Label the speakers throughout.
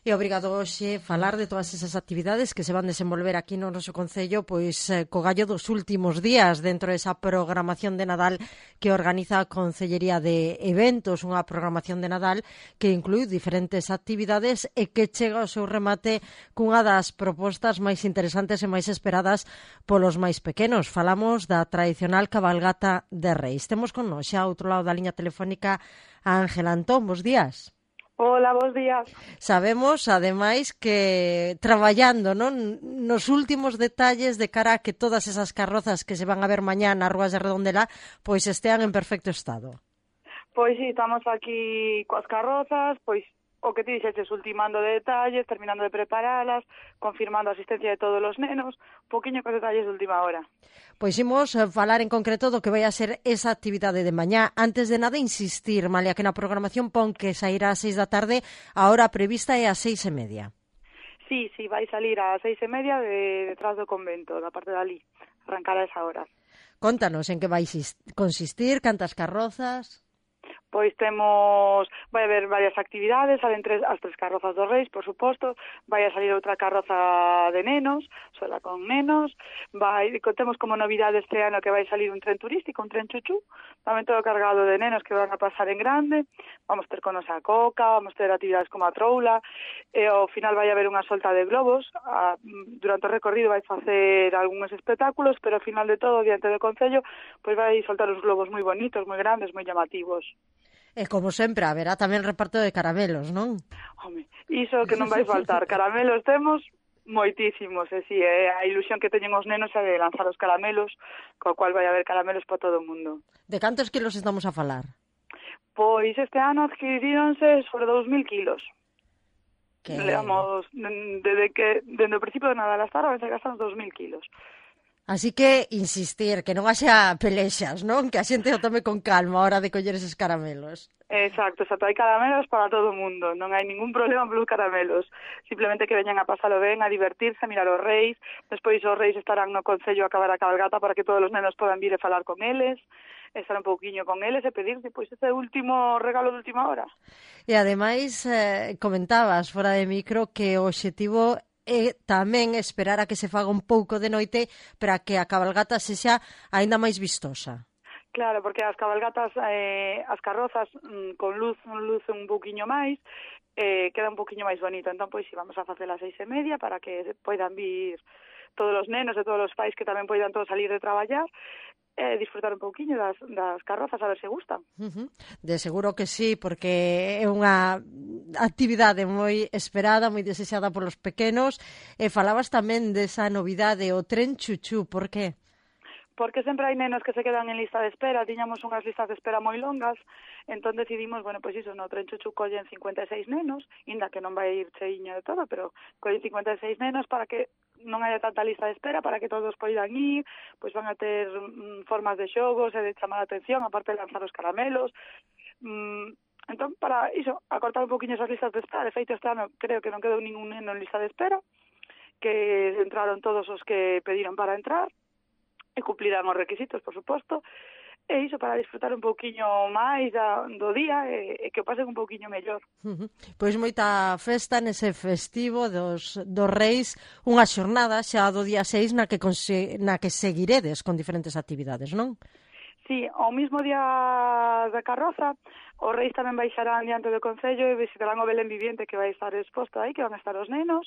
Speaker 1: E obrigado hoxe falar de todas esas actividades que se van desenvolver aquí no noso concello, pois co gallo dos últimos días dentro desa programación de Nadal que organiza a Concellería de Eventos, unha programación de Nadal que inclui diferentes actividades e que chega ao seu remate cunha das propostas máis interesantes e máis esperadas polos máis pequenos. Falamos da tradicional cabalgata de Reis. Temos con nós xa ao outro lado da liña telefónica a Ángela Antón. Bos días.
Speaker 2: Hola, bos días.
Speaker 1: Sabemos, ademais, que traballando, non, nos últimos detalles de cara a que todas esas carrozas que se van a ver mañá nas rúas de Redondela pois estean en perfecto estado.
Speaker 2: Pois sí, estamos aquí coas carrozas, pois o que ti dixeches, ultimando detalles, terminando de preparalas, confirmando a asistencia de todos os nenos, poquinho cos detalles de última hora.
Speaker 1: Pois imos falar en concreto do que vai a ser esa actividade de mañá. Antes de nada, insistir, Malia, que na programación pon que sairá ás 6 da tarde, a hora prevista é ás 6:30.
Speaker 2: Sí, vai salir ás 6:30 detrás do convento, da parte de ali, arrancar a esa hora.
Speaker 1: Contanos en que vai consistir, cantas carrozas...
Speaker 2: Pois vai haber varias actividades, salen as tres carrozas dos Reis, por suposto, vai a salir outra carroza de nenos, sola con nenos, temos como novidade este ano que vai salir un tren turístico, un tren chuchú, tamén todo cargado de nenos que van a pasar en grande, vamos ter con a coca, vamos ter actividades como a troula, e ao final vai haber unha solta de globos, durante o recorrido vai facer algúns espectáculos, pero ao final de todo, diante do Concello, pois vai soltar uns globos moi bonitos, moi grandes, moi llamativos.
Speaker 1: E como sempre, haberá tamén reparto de caramelos, non?
Speaker 2: Home, iso que non vai faltar. Caramelos temos moitísimos, e si, a ilusión que teñen os nenos é de lanzar os caramelos, co cual vai haber caramelos para todo o mundo.
Speaker 1: De cantos kilos estamos a falar?
Speaker 2: Pois este ano adquiríronse sobre 2.000 kilos.
Speaker 1: Que...
Speaker 2: Leamos, dende o principio de Nadal hasta ahora, se gastan 2.000 kilos.
Speaker 1: Así que insistir, que non haxa pelexas, non? Que a xente o tome con calma a hora de coller eses caramelos.
Speaker 2: Exacto, hai caramelos para todo o mundo, non hai ningún problema polos caramelos. Simplemente que veñan a pasalo ben, a divertirse, a mirar os Reis, despois os Reis estarán no Concello a acabar a cabalgata para que todos os nenos podan vir e falar con eles, estar un pouquiño con eles e pedir depois ese último regalo de última hora.
Speaker 1: E ademais comentabas fora de micro que o obxectivo e tamén esperar a que se faga un pouco de noite para que a cabalgata sexa aínda máis vistosa.
Speaker 2: Claro, porque as cabalgatas, as carrozas con luz un pouquiño máis, queda un pouquiño máis bonito. Entón, pois, si vamos a facer as 6:30 para que poidan vir todos os nenos e todos os pais que tamén poidan todos salir de traballar, disfrutar un pouquiño das carrozas, a ver se gustan.
Speaker 1: De seguro que sí, porque é unha actividade moi esperada, moi desexada polos pequenos. E falabas tamén desa novidade, o tren chuchú, por que?
Speaker 2: Porque sempre hai nenos que se quedan en lista de espera, tiñamos unhas listas de espera moi longas, entón decidimos, bueno, pois iso, no tren chuchú collen 56 nenos, inda que non vai ir cheiño de todo, pero collen 56 nenos para que non haya tanta lista de espera, para que todos poidan ir, pois van a ter formas de xogos e de chamar a atención, aparte de lanzar os caramelos. Entón, para iso, acortar un poquinho esas listas de espera, de feito este ano creo que non quedou ningún neno en lista de espera, que entraron todos os que pediron para entrar, e cumplirán os requisitos, por suposto, e iso para disfrutar un pouquiño máis do día e que o pasen un pouquiño mellor.
Speaker 1: Pois moita festa nese festivo dos Reis, unha xornada xa do día 6 na que seguiredes con diferentes actividades, non?
Speaker 2: Sí, ao mismo día da carroza, os Reis tamén baixarán diante do Concello e visitarán o Belén Viviente que vai estar exposto aí, que van a estar os nenos,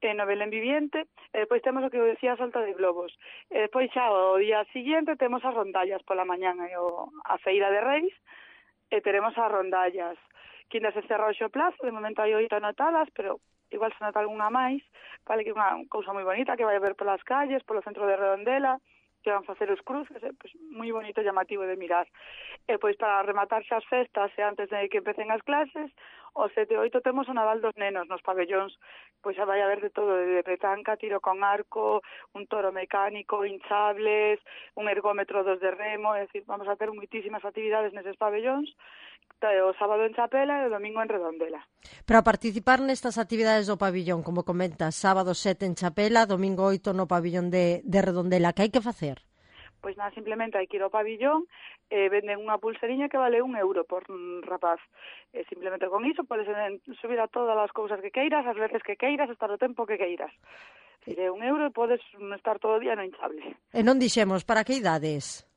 Speaker 2: no Belén Viviente, e depois temos o que decía a solta de globos. E depois xa o día siguiente temos as rondallas pola mañán e a feira de Reis, e teremos as rondallas. Que ainda se cerra o Xoplazo, de momento hai 8 anotadas, pero igual se nota algunha máis, vale, que é unha cousa moi bonita que vai haber polas calles, polo centro de Redondela, que van facer os cruces, pois moi bonito e llamativo de mirar. E pois para rematar xa as festas e antes de que empecen as clases, o 7 e 8 temos o Nadal dos nenos nos pabellóns, pois xa vai haber de todo, de petanca, tiro con arco, un toro mecánico, hinchables, un ergómetro dos de remo, é dicir, vamos a ter moitísimas actividades neses pabellóns, o sábado en Chapela e o domingo en Redondela.
Speaker 1: Para participar nestas actividades do pabillón, como comentas, sábado 7 en Chapela, domingo 8 no pabillón de Redondela, que hai que facer?
Speaker 2: Pois nada, simplemente hai que ir ao pabillón, venden unha pulseriña que vale €1 por rapaz. Simplemente con iso podes subir a todas as cousas que queiras, as veces que queiras, estar o tempo que queiras. Se é €1 e podes estar todo o día no hinchable.
Speaker 1: E non dixemos, para que idades?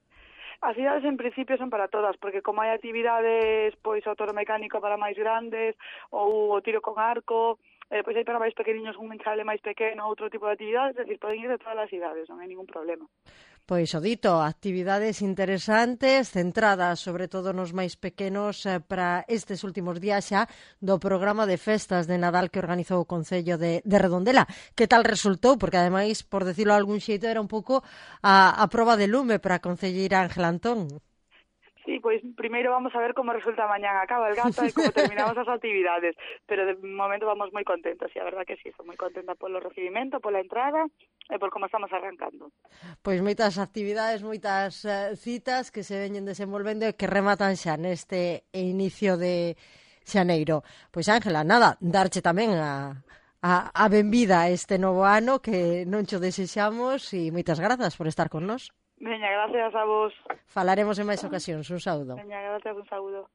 Speaker 2: As idades en principio son para todas, porque como hai actividades, pois o toro mecánico para máis grandes, ou o tiro con arco, pois hai para máis pequeniños un hinchable máis pequeno, outro tipo de actividades, é dicir, poden ir de todas as idades, non hai ningún problema.
Speaker 1: Pois o dito, actividades interesantes, centradas sobre todo nos máis pequenos para estes últimos días xa do programa de festas de Nadal que organizou o Concello de Redondela. Que tal resultou? Porque ademais, por decirlo de algún xeito, era un pouco a proba de lume para a concelleira Ángela Antón.
Speaker 2: Sí, pois primeiro vamos a ver como resulta mañán a cabalgata e como terminamos as actividades, pero de momento vamos moi contentos, e a verdad que sí, estou moi contenta polo recibimento, pola entrada e por como estamos arrancando.
Speaker 1: Pois moitas actividades, moitas citas que se veñen desenvolvendo e que rematan xa neste inicio de xaneiro. Pois Ángela, nada, darche tamén a benvida a este novo ano que non cho desexamos e moitas grazas por estar con nós.
Speaker 2: Veña, gracias a vos.
Speaker 1: Falaremos en máis ocasións. Un saúdo.
Speaker 2: Veña, gracias, un saúdo.